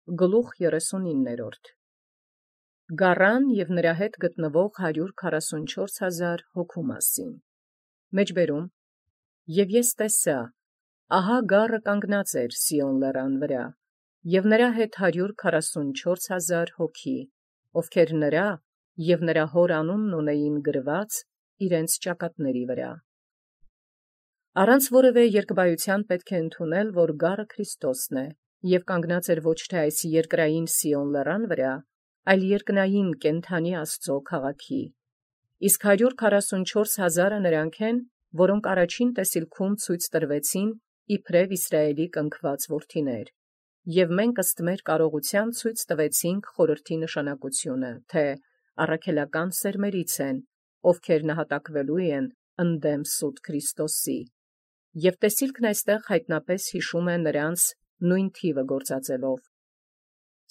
Գլուխ 39 Գառան և նրա հետ գտնվող 144,000 հոգու մասին։ Մեջբերում. Եւ ես տեսայ, ահա գառը կանգնած էր Սիոն լեռան վրա, և նրա հետ 144,000 հոգի, ովքեր նրա և նրա հոր անունն ունեին գրված իրենց ճակատների վրա։ Առանց որևէ երկբայութեան պետք է ընդունել, որ գառը Քրիստոսն է, և կանգնած էր ոչ թե այս երկրային Սիոն լեռան վրա, այլ երկնային կենդանի Աստուծոյ քաղաքի։ Իսկ 144,000 նրանք են, որոնք առաջին տեսիլքում ցույց տրվեցին իբրև Իսրայէլի կնքված որդիներ, և մենք ըստ մեր կարողութեան ցույց տվեցինք խորհրդի նշանակությունը, թե առաքելական սերմերից են, ովքեր նահատակվելու են ընդդեմ սուտ Քրիստոսի, և տեսիլքն այստեղ յայտնապէս յիշում է նրանց նույն թիվը գործածելով։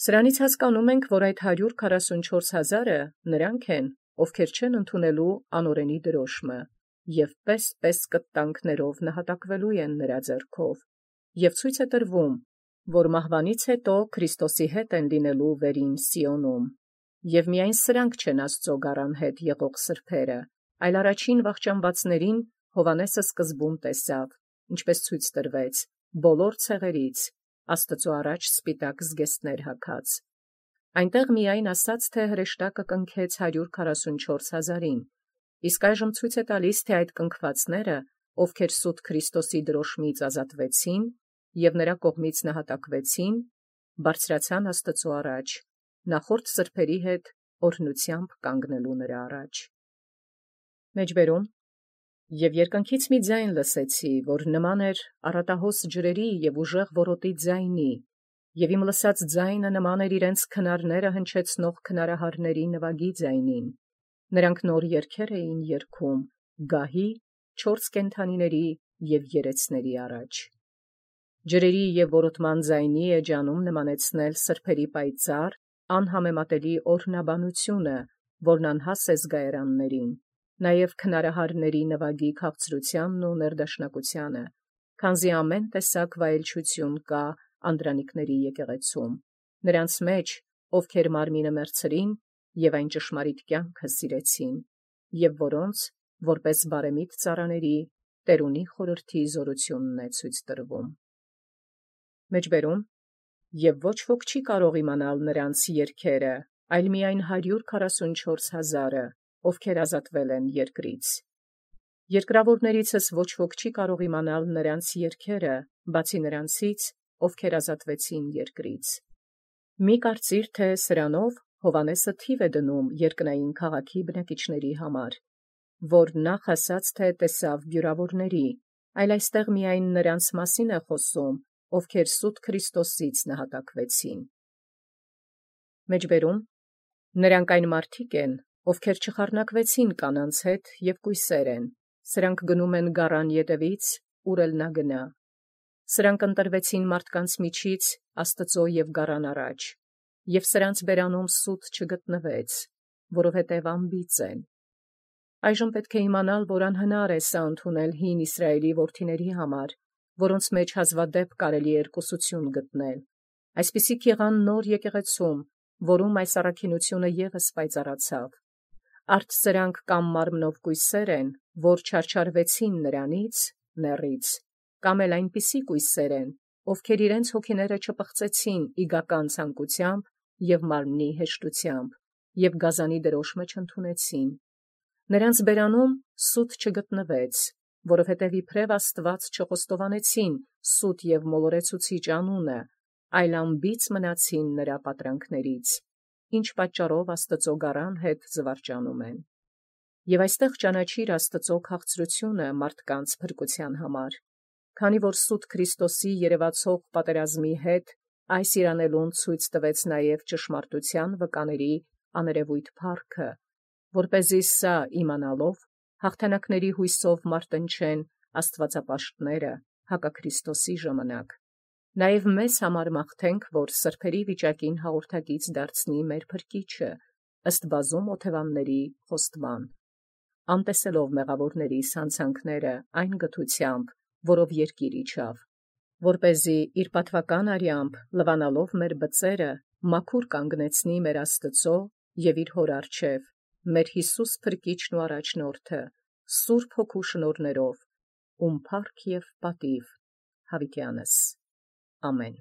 Սրանից հասկանում ենք, որ այդ 144,000 նրանք են, ովքեր չեն ընդունելու անօրենի դրոշմը, և պես կտանքներով նահատակվելու են նրա ձեռքով, և ցույց է տրվում, որ մահվանից հետո Քրիստոսի հետ են լինելու վերին Սիոնում, և միայն սրանք չեն Աստուծոյ գառան հետ եղող սրբերը, այլ առաջին վախճանվածներին Հովհաննեսը սկզբում տեսավ, ինչպես ցույց տրվեց, բոլոր ցեղերից, Աստուծոյ առաջ սպիտակ զգեստներ հագած։ Այնտեղ միայն ասաց, թե հրեշտակը կնքեց 144,000-ին, իսկ այժմ ցույց է տալիս, թե այդ կնքվածները, ովքեր սուտ Քրիստոսի դրոշմից ազատվեցին և նրա կողմից նահատակվեցին, բարձրացան Աստուծոյ առաջ, նախորդ սրբերի հետ օրհնութեամբ կանգնելու նրա առաջ։ Մեջբերում. Եւ երկնքից մի ձայն լսեցի, որ նման էր առատահոս ջրերի և ուժեղ որոտի ձայնի, և իմ լսած ձայնը նման էր իրենց քնարները հնչեցնող քնարահարների նվագի ձայնին. նրանք նոր երգեր էին երգում գահի, 4 կենդանիների և երեցների առաջ։ Ջրերի և որոտման ձայնի էջանում նմանեցնել սրբերի պայծառ, անհամեմատելի օրհնաբանությունը, որն անհաս է զգայարաններին, նաև քնարահարների նվագի քաղցրութեանն ու ներդաշնակությանը, քանզի ամեն տեսակ վայելչություն կա անդրանիկների եկեղեցում, նրանց մեջ, ովքեր մարմինը մեռցրին և այն ճշմարիտ կյանքը սիրեցին, և որոնց, որպես բարեմիտ ծառաների, տերունի խորհրդի զորությունն է ցույց տրվում։ Մեջբերում. Եվ ոչ ոք չի կարող իմանալ նրանց երգերը, այլ միայն 144,000, ովքեր ազատվել են երկրից։ Երկրավորներիցս ոչ ոք չի կարող իմանալ նրանց երգերը, բացի նրանցից, ովքեր ազատվեցին երկրից։ Մի կարծիր, թե սրանով Հովհաննեսը թիվ է դնում երկնային քաղաքի բնակիչների համար, որ նախ ասաց, թե տեսավ բյուրավորների, այլ այստեղ միայն նրանց մասին է խոսում, ովքեր սուտ Քրիստոսից նահատակվեցին։ Մեջբերում. Նրանք այն մարդիկ են, ովքեր չխառնակվեցին կանանց հետ և կույսեր են, սրանք գնում են գառան ետևից, ուր էլ նա գնա։ Սրանք ընտրվեցին մարդկանց միջից Աստծոյ և գառան առաջ, և սրանց բերանում սուտ չգտնվեց, որովհետև անբիծ են։ Այժմ պետք է իմանալ, որ անհնար է սա ընդունել հին Իսրայէլի որդիների համար, որոնց մեջ հազվադեպ կարելի էր կուսություն գտնել։ Այսպիսիք եղան նոր եկեղեցում, որում այս առաքինությունը ևս պայծառացավ։ Արդ սրանք կամ մարմնով կույսեր են, որ չարչարվեցին նրանից (նեռից), կամ էլ այնպիսի կույսեր են, ովքեր իրենց հոգիները չպղծեցին իգական ցանկությամբ և մարմնի հեշտությամբ, և գազանի դրոշմը չընդունեցին։ Նրանց բերանում սուտ չգտնվեց, որովհետև իբրև Աստված չխոստովանեցին սուտ և մոլորեցուցիչ անունը, այլ անբիծ մնացին նրա պատրանքներից, ինչ պատճառով Աստծու գառան հետ զվարճանում են։ Եվ այստեղ ճանաչիր Աստծու քաղցրությունը մարդկանց փրկության համար, քանի որ սուտ Քրիստոսի երևացող պատերազմի հետ այս իրանելուն ցույց տվեց նաև ճշմարտության վկաների աներևույթ փառքը, որպեսզի սա իմանալով հաղթանակների հույսով մարտնչեն աստվածապաշտները հակաքրիստոսի ժամանակ, նաև մեզ համար մաղթենք, որ սրբերի վիճակին հաղորդակից դարձնի մեր փրկիչը, ըստ բազում օթևանների խոստման, անտեսելով մեղավորների սանցանքները այն գթությամբ, որով երկիր իջավ, որպեսզի իր պատվական արյամբ լվանալով մեր բծերը մաքուր կանգնեցնի մեր Աստուծո և իր հոր առջև, մեր Յիսուս փրկիչն ու առաջնորդը, Սուրբ Հոգու շնորհներով, ում փառք և պատիվ հավիտյանս։ Ամեն։